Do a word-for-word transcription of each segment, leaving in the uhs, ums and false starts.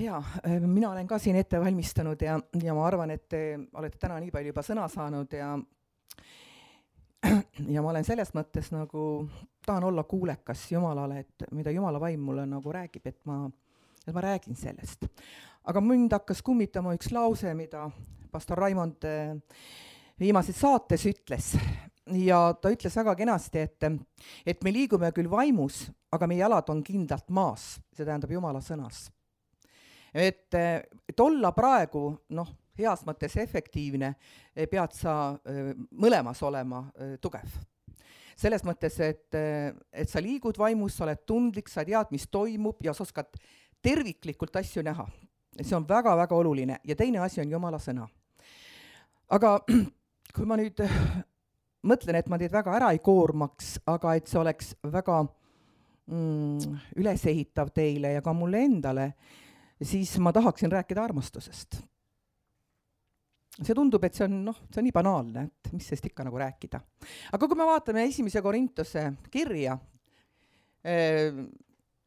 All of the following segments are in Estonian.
Hea, mina olen ka siin ette valmistanud ja, ja ma arvan, et te olete täna nii palju juba sõna saanud ja, ja ma olen selles mõttes nagu, tahan olla kuulekas Jumalale, et mida Jumala vaim mulle nagu räägib, et ma, et ma räägin sellest. Aga mind hakkas kummitama üks lause, mida pastor Raimond viimases saates ütles. Ja ta ütles väga kenasti, et, et me liigume küll vaimus, aga meie jalad on kindlalt maas, see tähendab Jumala sõnas. Et, et olla praegu, noh, heas mõttes efektiivne, pead sa mõlemas olema tugev. Selles mõttes, et, et sa liigud vaimus, sa oled tundlik, sa tead, mis toimub ja sa oskad terviklikult asju näha. See on väga-väga oluline ja teine asi on Jumala sõna. Aga kui ma nüüd mõtlen, et ma teid väga ära ei koormaks, aga et see oleks väga mm, ülesehitav teile ja ka mulle endale, siis ma tahaksin rääkida armastusest. See tundub, et see on, noh, see on nii banaalne, et mis sest ikka nagu rääkida. Aga kui me vaatame esimese Korintuse kirja,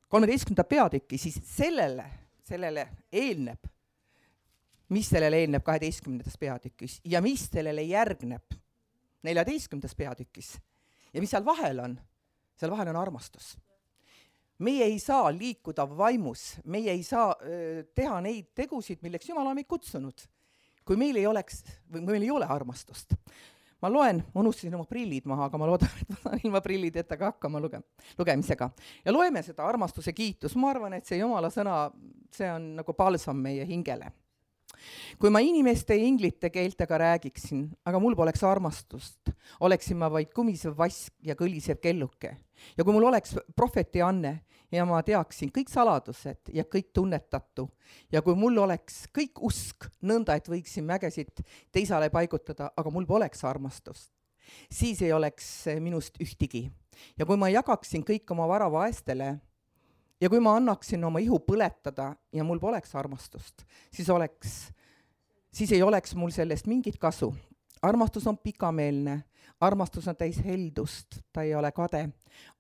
kolmeteistkümnenda peatüki, siis sellele, sellele eelneb, mis sellele eelneb kaheteistkümnendas peatükis ja mis sellele järgneb neljateistkümnendas peatükis ja mis seal vahel on, seal vahel on armastus. Meie ei saa liikuda vaimus, meie ei saa öö, teha neid tegusid, milleks Jumal on meid kutsunud, kui meil ei oleks, või meil ei ole armastust. Ma loen, ma unustasin oma prillid maha, aga ma loodan, et ma saan ilma prillideta ka hakkama luge, lugemisega. Ja loeme seda armastuse kiitus. Ma arvan, et see Jumala sõna, see on nagu palsam meie hingele. Kui ma inimeste ja inglite keeltega räägiksin, aga mul poleks armastust, oleksin ma vaid kumisev vask ja kõlisev kelluke. Ja kui mul oleks prohveti anne ja ma teaksin kõik saladused ja kõik tunnetatu ja kui mul oleks kõik usk nõnda, et võiksin mägesid teisale paigutada, aga mul poleks armastust, siis ei oleks minust ühtigi. Ja kui ma jagaksin kõik oma vara vaestele ja kui ma annaksin oma ihu põletada ja mul poleks armastust, siis, oleks, siis ei oleks mul sellest mingit kasu. Armastus on pikameelne, armastus on täis heldust, ta ei ole kade.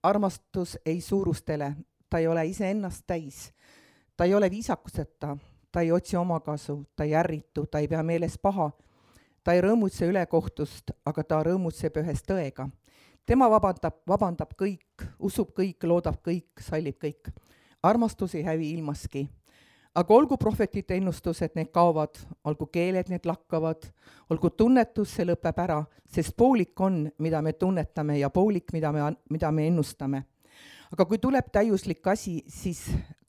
Armastus ei suurustele, ta ei ole ise ennast täis. Ta ei ole viisakuseta, ta ei otsi oma kasu, ta ei ärritu, ta ei pea meeles paha. Ta ei rõõmutse ülekohtust, aga ta rõõmutseb ühes tõega. Tema vabandab, vabandab kõik, usub kõik, loodab kõik, sallib kõik. Armastus ei hävi ilmaski. Aga olgu prohvetite ennustused, need kaovad, olgu keeled, need lakkavad, olgu tunnetus, see lõpeb ära, sest poolik on, mida me tunnetame ja poolik, mida me, mida me ennustame. Aga kui tuleb täiuslik asi, siis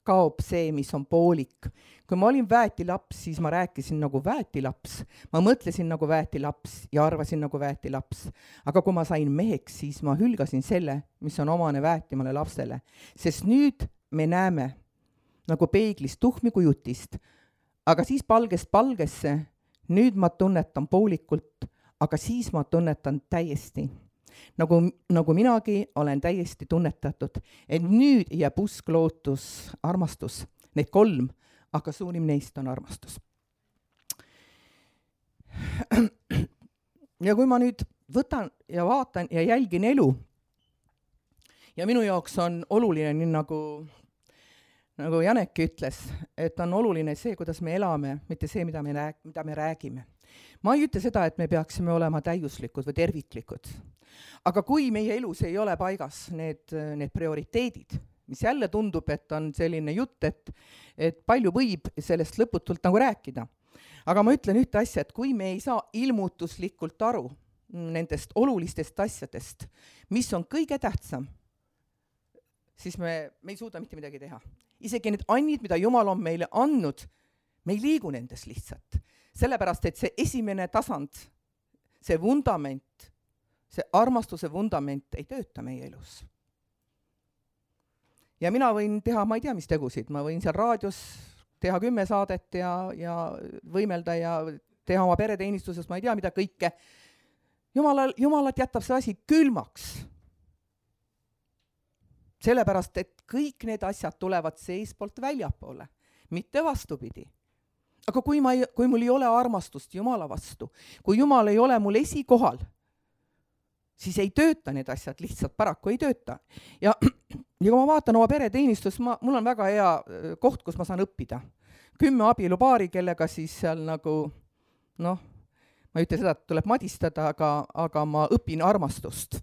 kaob see, mis on poolik. Kui ma olin väetilaps, siis ma rääkisin nagu väetilaps. Ma mõtlesin nagu väetilaps ja arvasin nagu väetilaps. Aga kui ma sain meheks, siis ma hülgasin selle, mis on omane väetimale lapsele. Sest nüüd me näeme nagu peeglist tuhmi kujutist, aga siis palgest palgesse, nüüd ma tunnetan poolikult, aga siis ma tunnetan täiesti. Nagu, nagu minagi olen täiesti tunnetatud, et nüüd jääb usk, lootus, armastus, need kolm, aga suurim neist on armastus. Ja kui ma nüüd võtan ja vaatan ja jälgin elu, ja minu jaoks on oluline, nii nagu nagu Janeki ütles, et on oluline see, kuidas me elame, mitte see, mida me, rääg- mida me räägime. Ma ei ütle seda, et me peaksime olema täiuslikud või terviklikud. Aga kui meie elus ei ole paigas need, need prioriteedid, mis jälle tundub, et on selline jutt, et, et palju võib sellest lõputult nagu rääkida. Aga ma ütlen ühte asja, et kui me ei saa ilmutuslikult aru nendest olulistest asjadest, mis on kõige tähtsam, siis me, me ei suuda mitte midagi teha. Isegi need annid, mida Jumal on meile andnud, me ei liigu nendes lihtsalt. Sellepärast, et see esimene tasand, see vundament, see armastuse vundament ei tööta meie elus. Ja mina võin teha, ma ei tea, mis tegusid, ma võin seal raadios teha kümme saadet ja, ja võimelda ja teha oma pereteenistuses, ma ei tea, mida kõike. Jumalal, Jumalat jätab see asi külmaks. Sellepärast, et kõik need asjad tulevad seespoolt väljapoole, mitte vastupidi. Aga kui, ma ei, kui mul ei ole armastust Jumala vastu, kui Jumal ei ole mul esikohal, siis ei tööta need asjad, lihtsalt paraku ei tööta. Ja, ja kui ma vaatan oma pereteenistus, ma, mul on väga hea koht, kus ma saan õppida. kümme abielupaari, kellega siis seal nagu noh, ma ei ütle seda, et tuleb madistada, aga, aga ma õpin armastust.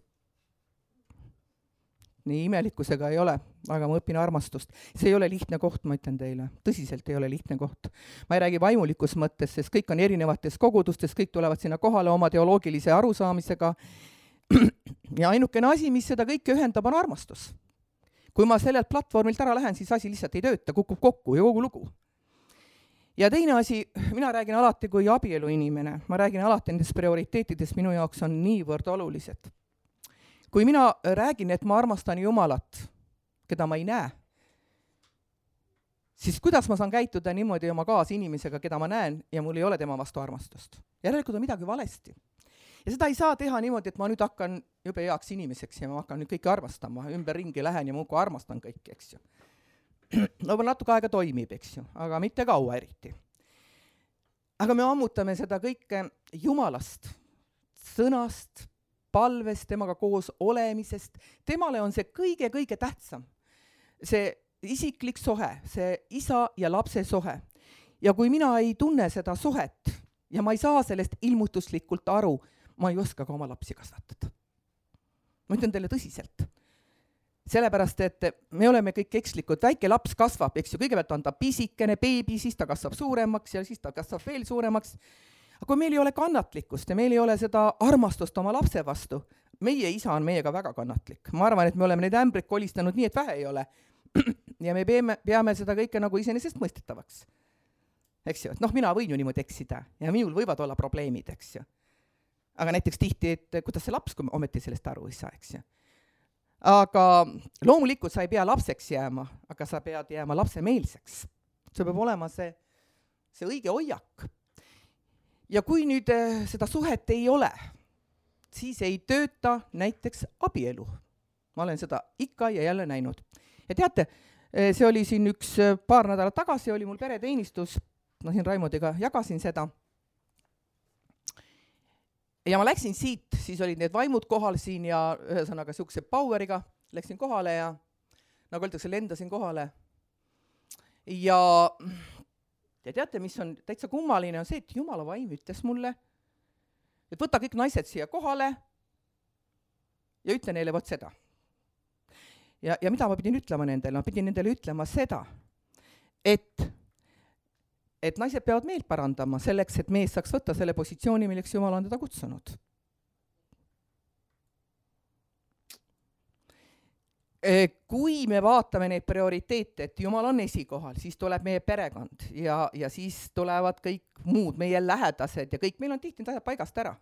Nii imelikkusega ei ole, aga ma õpin armastust. See ei ole lihtne koht, ma ütlen teile. Tõsiselt ei ole lihtne koht. Ma ei räägi vaimulikus mõttes, sest kõik on erinevates kogudustes, kõik tulevad sinna kohale oma teoloogilise arusaamisega. Ja ainukene asi, mis seda kõike ühendab, on armastus. Kui ma sellelt platvormilt ära lähen, siis asi lihtsalt ei tööta, kukub kokku ja kogu lugu. Ja teine asi, mina räägin alati kui abielu inimene. Ma räägin alati nendest prioriteetidest, minu jaoks on niivõrd olulised. Kui mina räägin, et ma armastan Jumalat, keda ma ei näe, siis kuidas ma saan käituda niimoodi oma kaasinimesega, keda ma näen ja mul ei ole tema vastu armastust? Järelikult on midagi valesti. Ja seda ei saa teha niimoodi, et ma nüüd hakkan jube heaks inimeseks ja ma hakkan nüüd kõike armastama, ümber ringi lähen ja muudkui armastan kõiki, eks ju. No natuke aega toimib, eks ju, aga mitte kaua eriti. Aga me ammutame seda kõike Jumalast, sõnast, palvest, temaga koos olemisest. Temale on see kõige-kõige tähtsam. See isiklik sohe, see isa ja lapse sohe. Ja kui mina ei tunne seda sohet ja ma ei saa sellest ilmutuslikult aru, ma ei oska ka oma lapsi kasvatada. Ma ütlen teile tõsiselt. Sellepärast, et me oleme kõik ekslikud. Väike laps kasvab, eks ju, kõigepealt on ta pisikene, beebi, siis ta kasvab suuremaks ja siis ta kasvab veel suuremaks. Aga kui meil ei ole kannatlikkust ja meil ei ole seda armastust oma lapse vastu, meie isa on meiega väga kannatlik. Ma arvan, et me oleme neid ämbrid kolistanud nii, et vähe ei ole. Ja me peame, peame seda kõike nagu iseenesest mõistetavaks. Eks ju, et noh, mina võin ju niimoodi eksida ja minul võivad olla probleemid, eks ju. Aga näiteks tihti, et kuidas see laps, kui ometi sellest aru ei saa, eks ju. Aga loomulikult sa ei pea lapseks jääma, aga sa pead jääma lapsemeelseks. See peab olema see, see õige hoiak. Ja kui nüüd seda suhet ei ole, siis ei tööta näiteks abielu. Ma olen seda ikka ja jälle näinud. Ja teate, see oli siin üks paar nädalat tagasi, oli mul pereteenistus, no siin Raimodiga jagasin seda. Ja ma läksin siit, siis olid need vaimud kohal siin ja ühesõnaga siukse poweriga läksin kohale ja nagu öeldakse, lendasin kohale. Ja Ja teate, mis on täitsa kummaline, on see, et Jumala vaim ütles mulle, et võta kõik naised siia kohale ja ütle neile vot seda. Ja, ja mida ma pidin ütlema nendele? Ma pidin nendele ütlema seda, et, et naised peavad meelt parandama selleks, et mees saaks võtta selle positsiooni, milleks Jumal on teda kutsunud. Kui me vaatame neid prioriteete, et Jumal on esikohal, siis tuleb meie perekond ja, ja siis tulevad kõik muud, meie lähedased ja kõik. Meil on tihti need asjad paigast ära.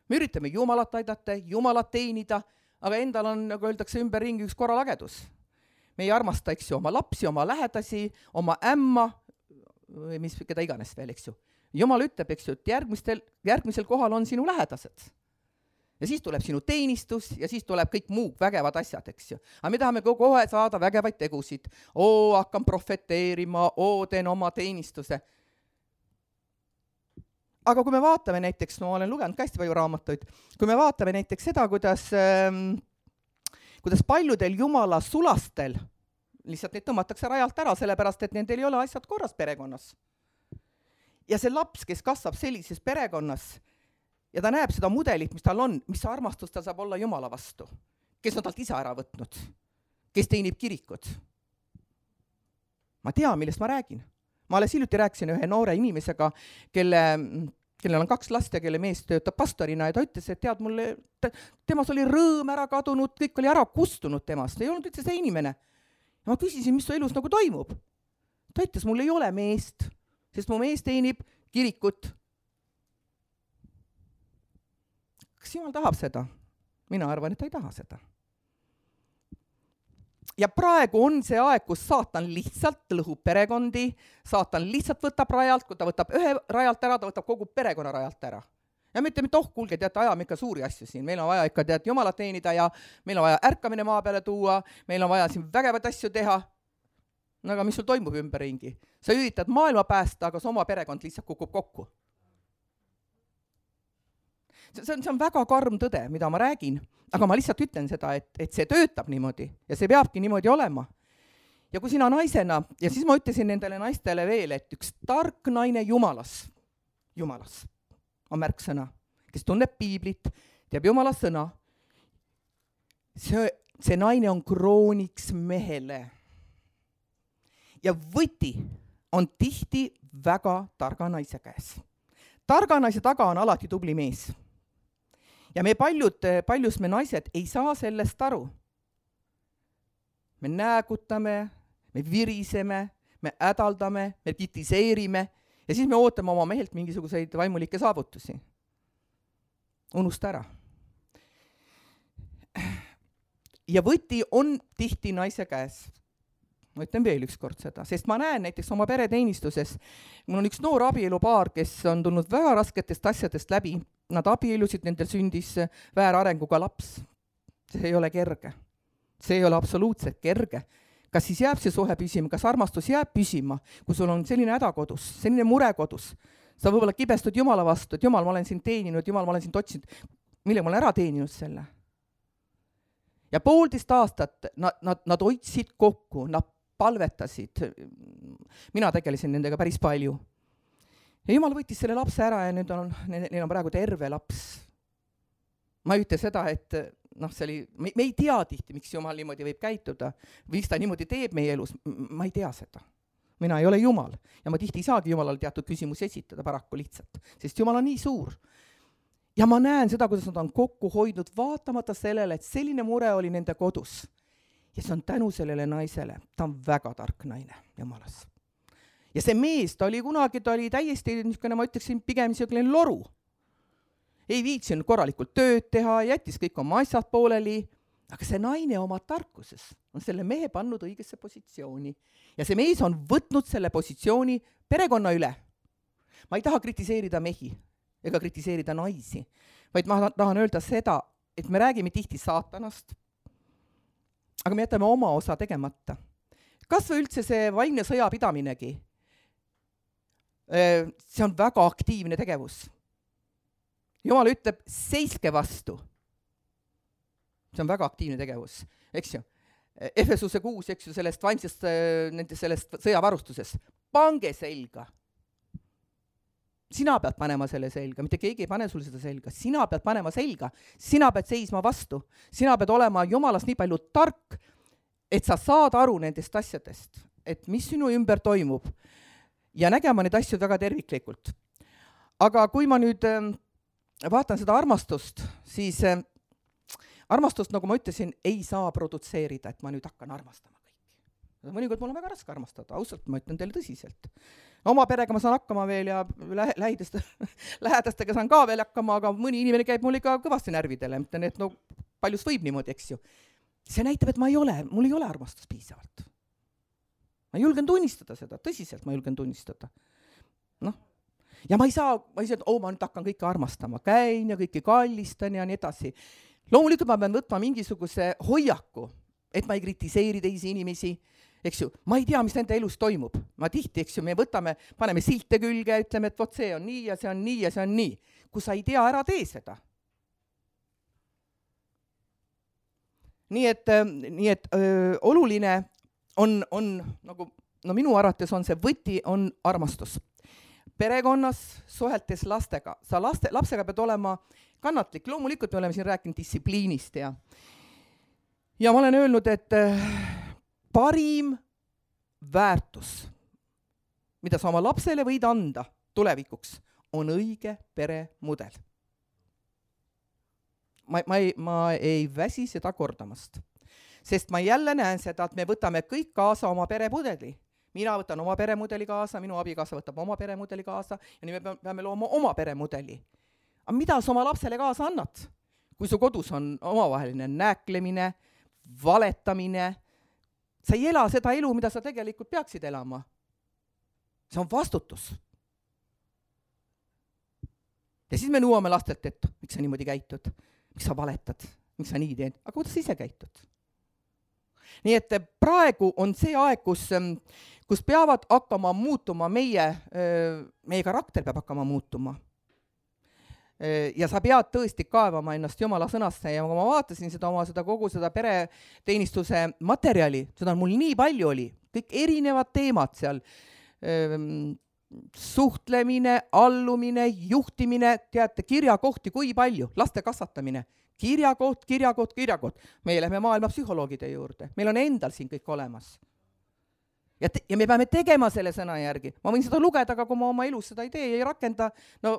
Me üritame Jumalat aidata, Jumalat teenida, aga endal on, nagu öeldakse, ümber ringi üks korralagedus. Me ei armasta, eks ju, oma lapsi, oma lähedasi, oma ämma, või mis, keda iganes veel, eks ju. Jumal ütleb, eks ju, et järgmistel, järgmisel kohal on sinu lähedased. Ja siis tuleb sinu teenistus ja siis tuleb kõik muu vägevad asjad, eks ju. Aga me tahame kohe saada vägevaid tegusid. Oo, hakkan profeteerima, oo, teen oma teenistuse. Aga kui me vaatame näiteks, no ma olen lugenud ka hästi palju raamatuid, kui me vaatame näiteks seda, kuidas, ähm, kuidas paljudel Jumala sulastel lihtsalt neid tõmmatakse rajalt ära, sellepärast, et nendel ei ole asjad korras perekonnas. Ja see laps, kes kasvab sellises perekonnas, ja ta näeb seda mudelit, mis tal on, mis armastus ta saab olla Jumala vastu, kes on talt isa ära võtnud, kes teenib kirikud. Ma tean, millest ma räägin. Ma alles hiljuti rääkisin ühe noore inimesega, kelle, kellel on kaks last ja kelle mees töötab pastorina ja ta ütles, et tead mulle, temas oli rõõm ära kadunud, kõik oli ära kustunud temast, ei olnud üldse see inimene. Ja ma küsisin, mis su elus nagu toimub. Ta ütles, mul ei ole meest, sest mu mees teenib kirikut. Kas Jumal tahab seda? Mina arvan, et ta ei taha seda. Ja praegu on see aeg, kus saatan lihtsalt lõhub perekondi, saatan lihtsalt võtab rajalt, kui ta võtab ühe rajalt ära, ta võtab kogu perekonna rajalt ära. Ja me ütleme, et oh, kuulge, teate, ajame ikka suuri asju siin, meil on vaja ikka tead Jumalat teenida ja meil on vaja ärkamine maa peale tuua, meil on vaja siin vägevad asju teha. No aga mis sul toimub ümberringi? Sa üritad maailma päästa, aga su oma perekond lihtsalt kukub kokku. See on, see on väga karm tõde, mida ma räägin, aga ma lihtsalt ütlen seda, et, et see töötab niimoodi ja see peabki niimoodi olema. ja kui sina naisena, ja siis ma ütlesin nendele naistele veel, et üks tark naine Jumalas, Jumalas on märksõna, kes tunneb piiblit, teab Jumala sõna, see, see naine on krooniks mehele. Ja võti on tihti väga targa naise käes. Targa naise taga on alati tubli mees. Ja me paljud, paljus me naised ei saa sellest aru. Me näägutame, me viriseme, me ädaldame, me kritiseerime ja siis me ootame oma mehelt mingisuguseid vaimulikke saavutusi. Unusta ära. Ja võti on tihti naise käes. Ma ütlen veel üks kord seda, sest ma näen näiteks oma pereteenistuses, mul on üks noor abielupaar, kes on tulnud väga rasketest asjadest läbi, nad abielusid, nendel sündis väärarenguga laps. See ei ole kerge. See ei ole absoluutselt kerge. Kas siis jääb see suhe püsima, kas armastus jääb püsima, kui sul on selline häda kodus, selline mure kodus. Sa võib-olla kibestud Jumala vastu, et Jumal, ma olen sind teeninud, Jumal, ma olen sind otsinud, mille ma olen ära teeninud selle. Ja poolteist aastat nad, nad, nad hoidsid kokku, nad palvetasid. Mina tegelesin nendega päris palju. Ja Jumal võttis selle lapse ära ja nüüd on, neil on praegu terve laps. Ma ei ütle seda, et noh, see oli, me, me ei tea tihti, miks Jumal niimoodi võib käituda. Miks ta niimoodi teeb meie elus, ma ei tea seda. Mina ei ole Jumal ja ma tihti ei saagi Jumalale teatud küsimusi esitada paraku lihtsalt, sest Jumal on nii suur. Ja ma näen seda, kuidas nad on kokku hoidnud, vaatamata sellele, et selline mure oli nende kodus. Ja see on tänu sellele naisele. Ta on väga tark naine Jumalas. Ja see mees, ta oli kunagi, ta oli täiesti, niisugune, ma ütleksin, pigem niisugune loru. Ei viitsinud korralikult tööd teha, jättis kõik oma asjad pooleli, aga see naine oma tarkuses on selle mehe pannud õigesse positsiooni. Ja see mees on võtnud selle positsiooni perekonna üle. Ma ei taha kritiseerida mehi ega kritiseerida naisi, vaid ma tahan öelda seda, et me räägime tihti saatanast, aga me jätame oma osa tegemata. Kas või üldse see vaimne sõjapidaminegi? See on väga aktiivne tegevus. Jumal ütleb, seiske vastu. See on väga aktiivne tegevus, eks ju. Efesuse kuus, eks ju, sellest vaimsest, sellest sõjavarustusest. Pange selga. Sina pead panema selle selga, mitte keegi ei pane sul seda selga. Sina pead panema selga, sina pead seisma vastu. Sina pead olema Jumalas nii palju tark, et sa saad aru nendest asjadest, et mis sinu ümber toimub ja nägema neid asju väga terviklikult. Aga kui ma nüüd vaatan seda armastust, siis armastust, nagu ma ütlesin, ei saa produtseerida, et ma nüüd hakkan armastama kõiki. Mõnikord mul on väga raske armastada, ausalt ma ütlen teile tõsiselt. Oma perega ma saan hakkama veel ja lähidest, lähedastega saan ka veel hakkama, aga mõni inimene käib mul ikka kõvasti närvidele. Mõtlen, et no paljus võib niimoodi, eks ju. See näitab, et ma ei ole, mul ei ole armastus piisavalt. Ma julgen tunnistada seda, tõsiselt ma julgen tunnistada. Noh. Ja ma ei saa, ma ei saa, et oh, ma nüüd hakkan kõike armastama, käin ja kõike kallistan ja nii edasi. Loomulikult ma pean võtma mingisuguse hoiaku, et ma ei kritiseeri teisi inimesi, eks ju, ma ei tea, mis nende elus toimub. Ma tihti, eks ju, me võtame, paneme silte külge, ütleme, et vot see on nii ja see on nii ja see on nii. Kui sa ei tea, ära tee seda. Nii et, nii et öö, oluline on, on nagu, no minu arvates on see võti, on armastus. Perekonnas, suheltes lastega. Sa laste, lapsega pead olema kannatlik. Loomulikult me oleme siin rääkinud distsipliinist ja, ja ma olen öelnud, et parim väärtus, mida sa oma lapsele võid anda tulevikuks, on õige peremudel. Ma, ma, ei, ma ei väsi seda kordamast, sest ma jälle näen seda, et me võtame kõik kaasa oma peremudeli. Mina võtan oma peremudeli kaasa, minu abikaasa võtab oma peremudeli kaasa ja nii me peame looma oma peremudeli. Aga mida sa oma lapsele kaasa annad? Kui su kodus on omavaheline nääklemine, valetamine, sa ei ela seda elu, mida sa tegelikult peaksid elama. See on vastutus. Ja siis me nõuame lastelt, et miks sa niimoodi käitud, miks sa valetad, miks sa nii teed, aga kuidas sa ise käitud? Nii et praegu on see aeg, kus, kus peavad hakkama muutuma meie, meie karakter peab hakkama muutuma. Ja sa pead tõesti kaevama ennast Jumala sõnasse ja kui ma vaatasin seda oma seda kogu seda pereteenistuse materjali, seda mul nii palju oli, kõik erinevad teemad seal, suhtlemine, allumine, juhtimine, teate, kirjakohti kui palju, laste kasvatamine, kirjakoht, kirjakoht, kirjakoht. Meie lähme maailma psühholoogide juurde, meil on endal siin kõik olemas. Ja, te, ja me peame tegema selle sõna järgi. Ma võin seda lugeda, aga kui ma oma elus seda ei tee ja ei rakenda, no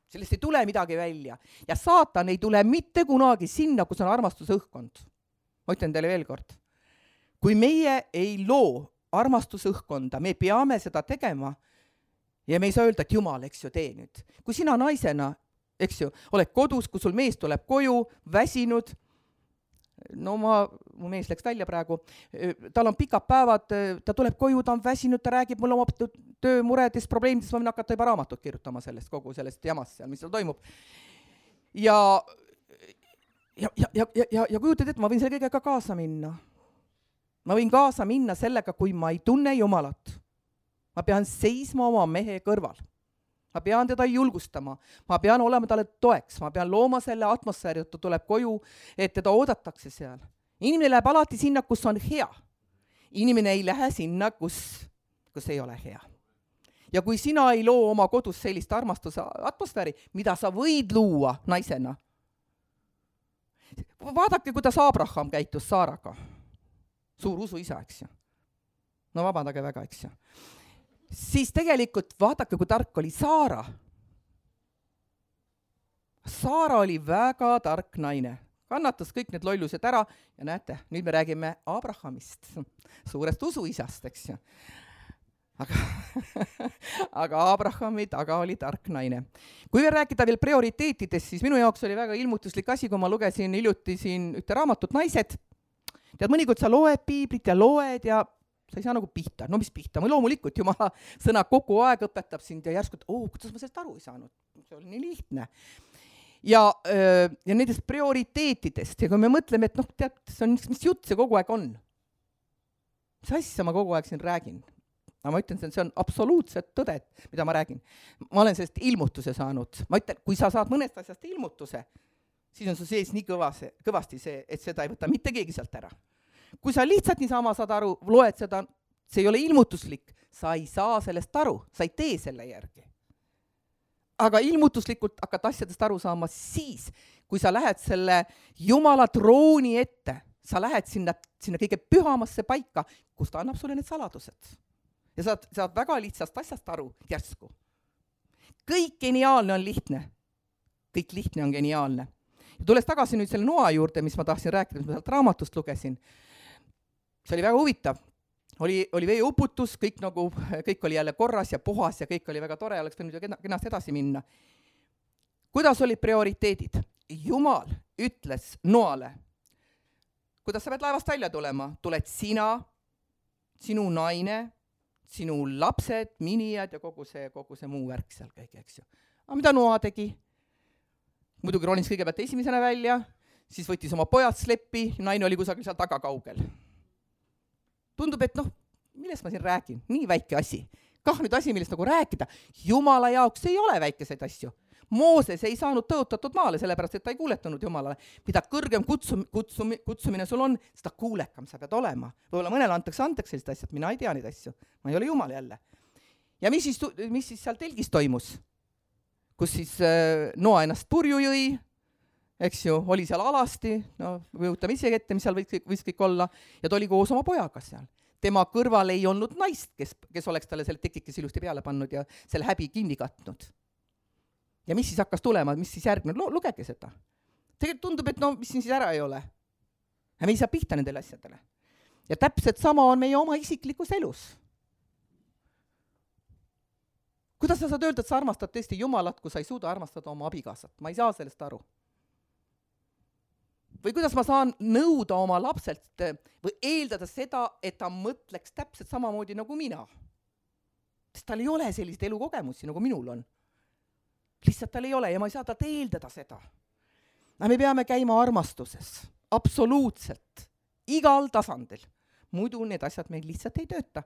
sellest ei tule midagi välja. Ja saatan ei tule mitte kunagi sinna, kus on armastuse õhkkond. Ma ütlen teile veel kord. Kui meie ei loo armastuse õhkkonda, me peame seda tegema ja me ei saa öelda, et Jumal, eks ju, tee nüüd. Kui sina naisena, eks ju, oled kodus, kui sul mees tuleb koju, väsinud, no ma, mu mees läks välja praegu, tal on pikad päevad, ta tuleb koju, ta on väsinud, ta räägib mulle oma töömuredest, probleemidest, ma võin hakata juba raamatut kirjutama sellest, kogu sellest jamast seal, mis seal toimub. Ja, ja, ja, ja, ja, ja kujutad, et ma võin selle kõigega kaasa minna. Ma võin kaasa minna sellega, kui ma ei tunne Jumalat. Ma pean seisma oma mehe kõrval. Ma pean teda julgustama. Ma pean olema talle toeks. Ma pean looma selle atmosfääri, et ta tuleb koju, et teda oodatakse seal. Inimene läheb alati sinna, kus on hea. Inimene ei lähe sinna, kus, kus ei ole hea. Ja kui sina ei loo oma kodus sellist armastuse atmosfääri, mida sa võid luua naisena, vaadake, kuidas Abraham käitus Saaraga. Suur usu isa, eks ju. No vabandage väga, eks ju. Siis tegelikult vaadake, kui tark oli Saara. Saara oli väga tark naine. Kannatas kõik need lollused ära ja näete, nüüd me räägime Abrahamist, suurest usuisast, eks ju. Aga, aga Abrahami taga oli tark naine. Kui veel rääkida veel prioriteetidest, siis minu jaoks oli väga ilmutuslik asi, kui ma lugesin hiljuti siin ühte raamatut Naised. Tead, mõnikord sa loed piiblit ja loed ja sa ei saa nagu pihta. No mis pihta? Ma loomulikult Jumala sõna kogu aeg õpetab sind ja järsku, et oh, kuidas ma sellest aru ei saanud. See oli nii lihtne. Ja, ja nendest prioriteetidest. Ja kui me mõtleme, et noh, tead, see on, mis jutt see kogu aeg on? Mis asja ma kogu aeg siin räägin? No, ma ütlen, see on absoluutselt tõde, mida ma räägin. Ma olen sellest ilmutuse saanud. Ma ütlen, kui sa saad mõnest asjast ilmutuse, siis on su sees nii kõvase, kõvasti see, et seda ei võta mitte keegi sealt ära. Kui sa lihtsalt niisama saad aru, loed seda, see ei ole ilmutuslik, sa ei saa sellest aru, sa ei tee selle järgi. Aga ilmutuslikult hakkad asjadest aru saama siis, kui sa lähed selle Jumala trooni ette, sa lähed sinna, sinna kõige pühamasse paika, kus ta annab sulle need saladused. Ja saad, saad väga lihtsast asjast aru järsku. Kõik geniaalne on lihtne. Kõik lihtne on geniaalne. Ja tules tagasi nüüd selle noa juurde, mis ma tahtsin rääkida, mis ma sealt raamatust lugesin. See oli väga huvitav. Oli, oli veeuputus, kõik, nagu, kõik oli jälle korras ja puhas ja kõik oli väga tore, oleks võinud ju kenast edasi minna. Kuidas olid prioriteedid? Jumal ütles noale, kuidas sa pead laevast välja tulema? Tuled sina, sinu naine, sinu lapsed, minijad ja kogu see, kogu see muu värk seal kõik, eks ju. Aga mida noa tegi? Muidugi ronis kõigepealt esimesena välja, siis võttis oma pojad sleppi, naine oli kusagil seal taga kaugel. Tundub, et noh, millest ma siin räägin? Nii väike asi. Kah nüüd asi, millest nagu rääkida. Jumala jaoks ei ole väikeseid asju. Mooses ei saanud tõotatud maale, sellepärast, et ta ei kuuletanud Jumalale. Mida kõrgem kutsum, kutsum, kutsumine sul on, seda kuulekam sa pead olema. Võib-olla mõnele antakse andeks sellist asjad, mina ei tea neid asju. Ma ei ole Jumal jälle. Ja mis siis, mis siis seal telgis toimus? Kus siis Noa ennast purju jõi, eks ju, oli seal alasti, no võutame ise ette, mis seal võis, võis kõik olla, ja ta oli koos oma pojaga seal. Tema kõrval ei olnud naist, kes, kes oleks talle selle tekikes ilusti peale pannud ja selle häbi kinni katnud. Ja mis siis hakkas tulema, mis siis järgnud? Lugege seda. Tegelikult tundub, et no, mis siin siis ära ei ole. Ja me ei saa pihta nendele asjadele. Ja täpselt sama on meie oma isiklikus elus. Kuidas sa saad öelda, et sa armastad tõesti Jumalat, kui sa ei suuda armastada oma abikaasat? Ma ei saa sellest aru. Või kuidas ma saan nõuda oma lapselt või eeldada seda, et ta mõtleks täpselt samamoodi nagu mina? Sest tal ei ole sellist elukogemusi, nagu minul on. Lihtsalt tal ei ole ja ma ei saa ta eeldada seda. Aga me peame käima armastuses. Absoluutselt. Igal tasandil. Muidu need asjad meil lihtsalt ei tööta.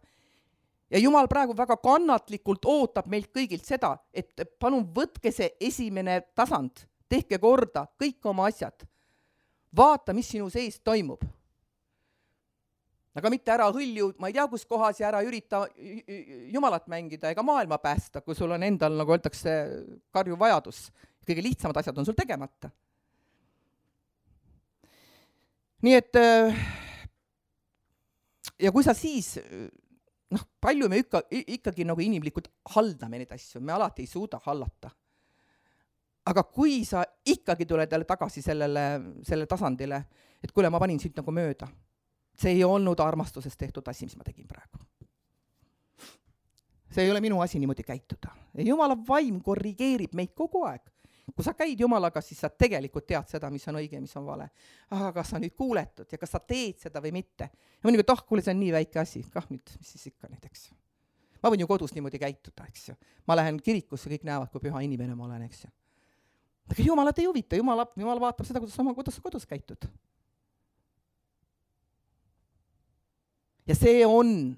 Ja Jumal praegu väga kannatlikult ootab meilt kõigilt seda, et palun võtke see esimene tasand, tehke korda kõik oma asjad. Vaata, mis sinu sees toimub. aga mitte ära hõlju, ma ei tea, kus kohas ja ära ürita Jumalat mängida ega maailma päästa, kui sul on endal, nagu öeldakse, karjuv vajadus. Kõige lihtsamad asjad on sul tegemata. Nii et ja kui sa siis, noh, palju me ikka, ikkagi nagu inimlikult haldame neid asju, me alati ei suuda hallata. Aga kui sa ikkagi tuled jälle tagasi sellele, sellele tasandile, et kuule, ma panin siit nagu mööda, see ei olnud armastusest tehtud asi, mis ma tegin praegu. See ei ole minu asi niimoodi käituda. Ja Jumala vaim korrigeerib meid kogu aeg. Kui sa käid Jumalaga, siis sa tegelikult tead seda, mis on õige ja mis on vale. Aga kas sa nüüd kuuletud ja kas sa teed seda või mitte? Ja mõni, et oh, kuule, see on nii väike asi. Kah nüüd, mis siis ikka nüüd, eks ju. Ma võin ju kodus niimoodi käituda, eks ju. Ma lähen kirikusse, kõik näevad, kui püha inimene ma olen, eks ju. Aga Jumalat ei huvita. Jumal, Jumal vaatab seda, kuidas, kuidas sa kodus käitud. Ja see on,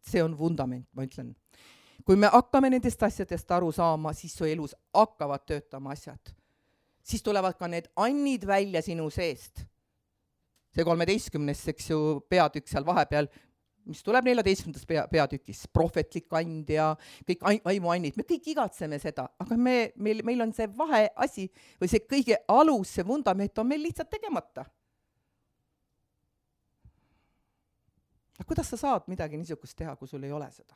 see on vundament, ma ütlen. Kui me hakkame nendest asjadest aru saama, siis su elus hakkavad töötama asjad. Siis tulevad ka need annid välja sinu seest. See kolmeteistkümnes, eks ju, peatükk seal vahepeal, mis tuleb neljateistkümnendas pea, peatükis, prohvetlik and ja kõik vaimuannid. Me kõik igatseme seda, aga me, meil, meil on see vahe asi või see kõige alus, see vundament on meil lihtsalt tegemata. Aga kuidas sa saad midagi niisugust teha, kui sul ei ole seda?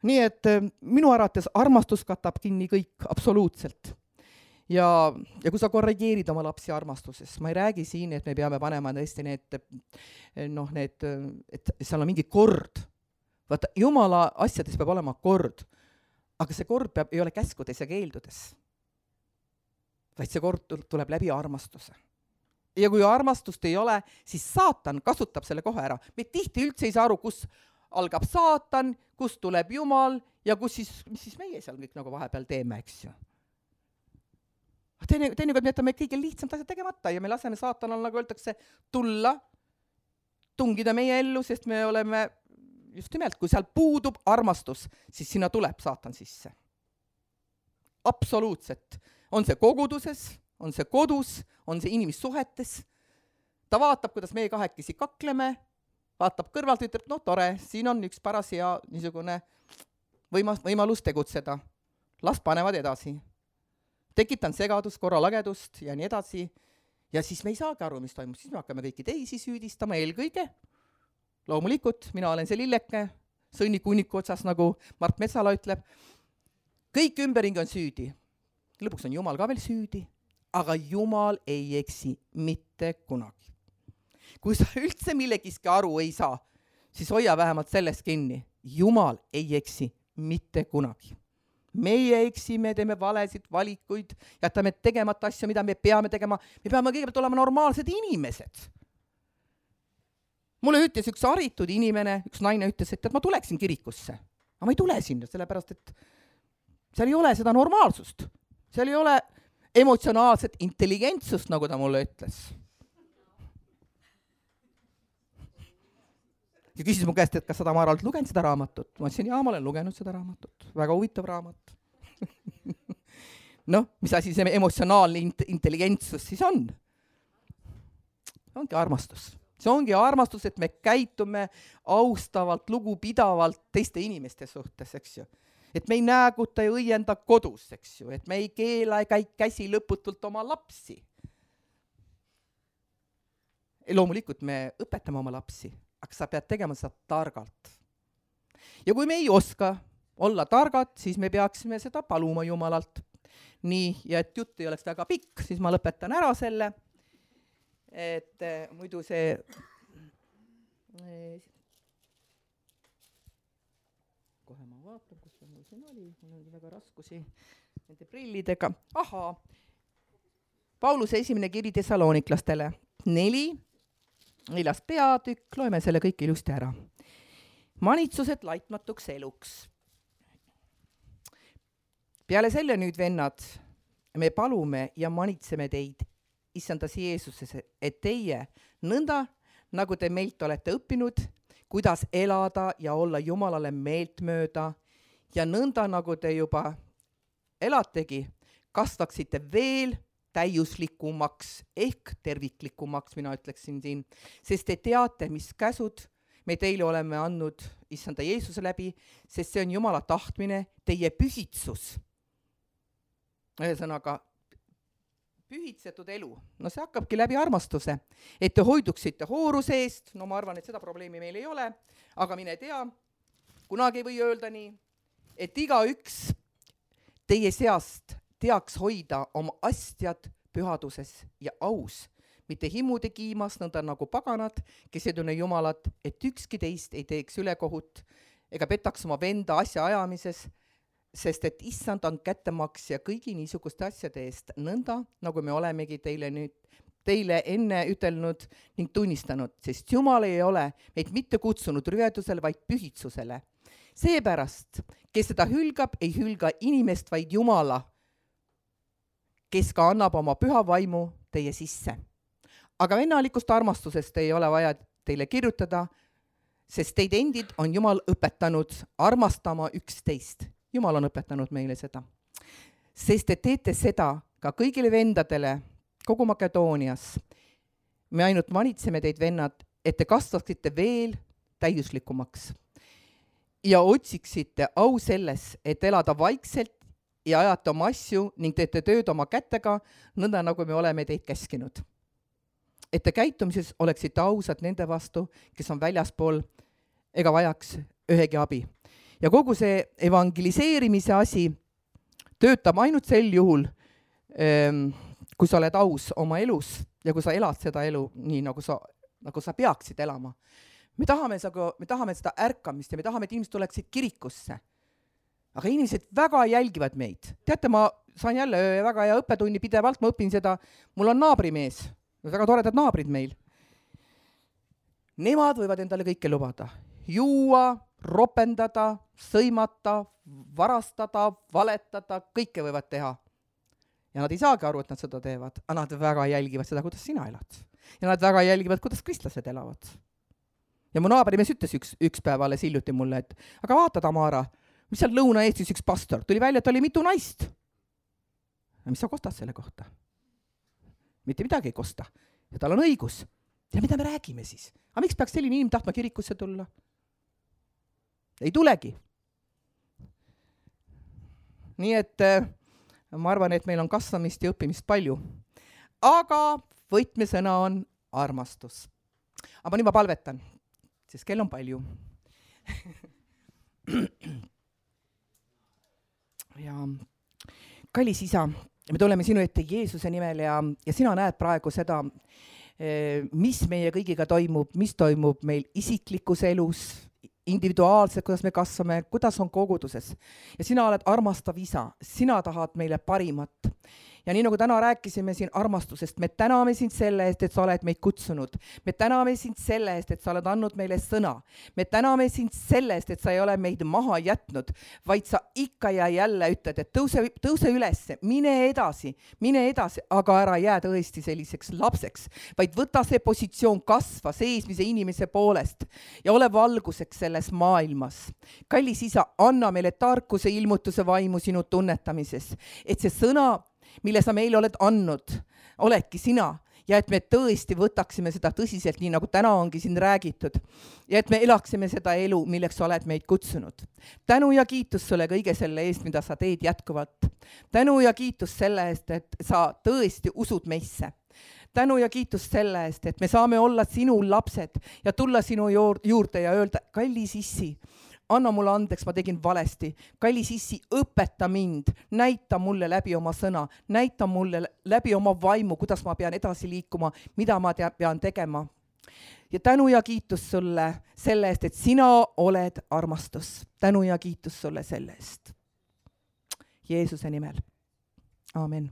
Nii et minu arvates armastus katab kinni kõik absoluutselt. Ja, ja kui sa korrigeerid oma lapsi armastuses, ma ei räägi siin, et me peame panema tõesti need, noh, need, et seal on mingi kord. Vaata, Jumala asjades peab olema kord, aga see kord peab, ei ole käskudes ja keeldudes, vaid see kord tuleb läbi armastuse. Ja kui armastust ei ole, siis saatan kasutab selle kohe ära. Me tihti üldse ei saa aru, kus algab saatan, kust tuleb Jumal ja kus siis, mis siis meie seal kõik nagu vahepeal teeme, eks ju. Teine, teinekord me jätame kõige lihtsamt asjad tegemata ja me laseme saatanal, nagu öeldakse, tulla, tungida meie ellu, sest me oleme, just nimelt, kui seal puudub armastus, siis sinna tuleb saatan sisse. Absoluutselt. On see koguduses, on see kodus, on see inimissuhetes. Ta vaatab, kuidas meie kahekesi kakleme, vaatab kõrvalt, ütleb, no tore, siin on üks paras hea niisugune võimas, võimalus tegutseda. Las panevad edasi. Tekitan segadust, korralagedust ja nii edasi. Ja siis me ei saagi aru, mis toimub. Siis me hakkame kõiki teisi süüdistama eelkõige. Loomulikult, mina olen see lilleke, sõnniku uniku otsas, nagu Mart Metsala ütleb. Kõik ümberringi on süüdi. Lõpuks on Jumal ka veel süüdi, aga Jumal ei eksi mitte kunagi. Kui sa üldse millegiski aru ei saa, siis hoia vähemalt sellest kinni. Jumal ei eksi mitte kunagi. Meie eksime, teeme valesid valikuid, jätame tegemata asju, mida me peame tegema. Me peame kõigepealt olema normaalsed inimesed. Mulle ütles üks haritud inimene, üks naine ütles, et, et ma tuleksin kirikusse. Aga ma ei tule sinna, sellepärast, et seal ei ole seda normaalsust. Seal ei ole emotsionaalset intelligentsust, nagu ta mulle ütles. Ja küsis mu käest, et kas seda ma olen lugenud seda raamatut. Ma ütlesin, jaa, ma olen lugenud seda raamatut. Väga huvitav raamat. Noh, mis asi see emotsionaalne intelligentsus siis on? Ongi armastus. See ongi armastus, et me käitume austavalt, lugupidavalt teiste inimeste suhtes, eks ju. Et me ei nääguta ja õienda kodus, eks ju. Et me ei keela ja käi käsi lõputult oma lapsi. Ja loomulikult me õpetame oma lapsi. Aga sa pead tegema seda targalt. Ja kui me ei oska olla targad, siis me peaksime seda paluma Jumalalt. Nii, ja et jutt ei oleks väga pikk, siis ma lõpetan ära selle. Et eh, muidu see... Eh, kohe ma vaatan, kus mul siin oli. Mul on väga raskusi nende prillidega. Ahaa. Pauluse esimene kiri Thessaloniklastele. Neli. Neljas peatükk, loeme selle kõik ilusti ära. Manitsused laitmatuks eluks. Peale selle nüüd, vennad, me palume ja manitseme teid, issandas Jeesuses, et teie nõnda, nagu te meilt olete õppinud, kuidas elada ja olla Jumalale meeltmööda ja nõnda, nagu te juba elategi, kasvaksite veel täiuslikumaks ehk terviklikumaks, mina ütleksin siin, sest te teate, mis käsud me teile oleme andnud issanda Jeesuse läbi, sest see on Jumala tahtmine, teie pühitsus. Ühesõnaga, pühitsetud elu, no see hakkabki läbi armastuse, et te hoiduksite hooruse eest, no ma arvan, et seda probleemi meil ei ole, aga mine tea, kunagi ei või öelda nii, et igaüks teie seast teaks hoida oma astjad pühaduses ja aus, mitte himude kiimas, nõnda nagu paganad, kes ei tunne Jumalat, et ükski teist ei teeks ülekohut ega petaks oma venda asja ajamises, sest et issand on kättemaksja kõigi niisuguste asjade eest, nõnda nagu me olemegi teile nüüd, teile enne ütelnud ning tunnistanud, sest Jumal ei ole meid mitte kutsunud rüvedusele, vaid pühitsusele. Seepärast, kes seda hülgab, ei hülga inimest, vaid Jumala, kes ka annab oma püha vaimu teie sisse. Aga vennalikust armastusest ei ole vaja teile kirjutada, sest teid endid on Jumal õpetanud armastama üksteist. Jumal on õpetanud meile seda. Sest te teete seda ka kõigile vendadele kogu Makedoonias. Me ainult manitseme teid, vennad, et te kasvaksite veel täiuslikumaks ja otsiksite au selles, et elada vaikselt ja ajate oma asju ning teete tööd oma kätega, nõnda nagu me oleme teid käskinud. Et te käitumises oleksite ausad nende vastu, kes on väljaspool ega vajaks ühegi abi. Ja kogu see evangeliseerimise asi töötab ainult sel juhul, kui sa oled aus oma elus ja kui sa elad seda elu nii, nagu sa, nagu sa peaksid elama. Me tahame, me tahame seda ärkamist ja me tahame, et inimesed tuleksid kirikusse. Aga inimesed väga jälgivad meid. Teate, ma saan jälle väga hea õppetunni pidevalt, ma õpin seda, mul on naabrimees, väga toredad naabrid meil. Nemad võivad endale kõike lubada. Juua, ropendada, sõimata, varastada, valetada, kõike võivad teha. Ja nad ei saagi aru, et nad seda teevad, aga nad väga jälgivad seda, kuidas sina elad. Ja nad väga jälgivad, kuidas kristlased elavad. Ja mu naabrimees ütles üks, üks päev alles hiljuti mulle, et aga vaata, Tamara, mis seal Lõuna-Eestis üks pastor, tuli välja, et oli mitu naist. Ja mis sa kostad selle kohta? Mitte midagi ei kosta. Ja tal on õigus. Ja mida me räägime siis? Aga miks peaks selline inimene tahtma kirikusse tulla? Ei tulegi. Nii et ma arvan, et meil on kasvamist ja õppimist palju. Aga võtmesõna on armastus. Aga nüüd ma palvetan, sest kell on palju. Ja kallis isa, me tuleme sinu ette Jeesuse nimel ja, ja sina näed praegu seda, mis meie kõigiga toimub, mis toimub meil isiklikus elus, individuaalselt, kuidas me kasvame, kuidas on koguduses. Ja sina oled armastav isa, sina tahad meile parimat. Ja nii nagu täna rääkisime siin armastusest, me täname sind selle eest, et sa oled meid kutsunud. Me täname sind selle eest, et sa oled andnud meile sõna. Me täname sind selle eest, et sa ei ole meid maha jätnud, vaid sa ikka ja jälle ütled, et tõuse, tõuse üles, mine edasi, mine edasi, aga ära jää tõesti selliseks lapseks, vaid võta see positsioon kasva seesmise inimese poolest ja ole valguseks selles maailmas. Kallis isa, anna meile tarkuse ilmutuse vaimu sinu tunnetamises, et see sõna, mille sa meile oled andnud, oledki sina ja et me tõesti võtaksime seda tõsiselt, nii nagu täna ongi siin räägitud ja et me elaksime seda elu, milleks sa oled meid kutsunud. Tänu ja kiitus sulle kõige selle eest, mida sa teed jätkuvalt. Tänu ja kiitus selle eest, et sa tõesti usud meisse. Tänu ja kiitus selle eest, et me saame olla sinu lapsed ja tulla sinu juurde ja öelda, kallis issi, anna mulle andeks, ma tegin valesti. Kallis issi, õpeta mind, näita mulle läbi oma sõna, näita mulle läbi oma vaimu, kuidas ma pean edasi liikuma, mida ma tea, pean tegema. Ja tänu ja kiitus sulle selle eest, et sina oled armastus. Tänu ja kiitus sulle selle eest. Jeesuse nimel. Aamen.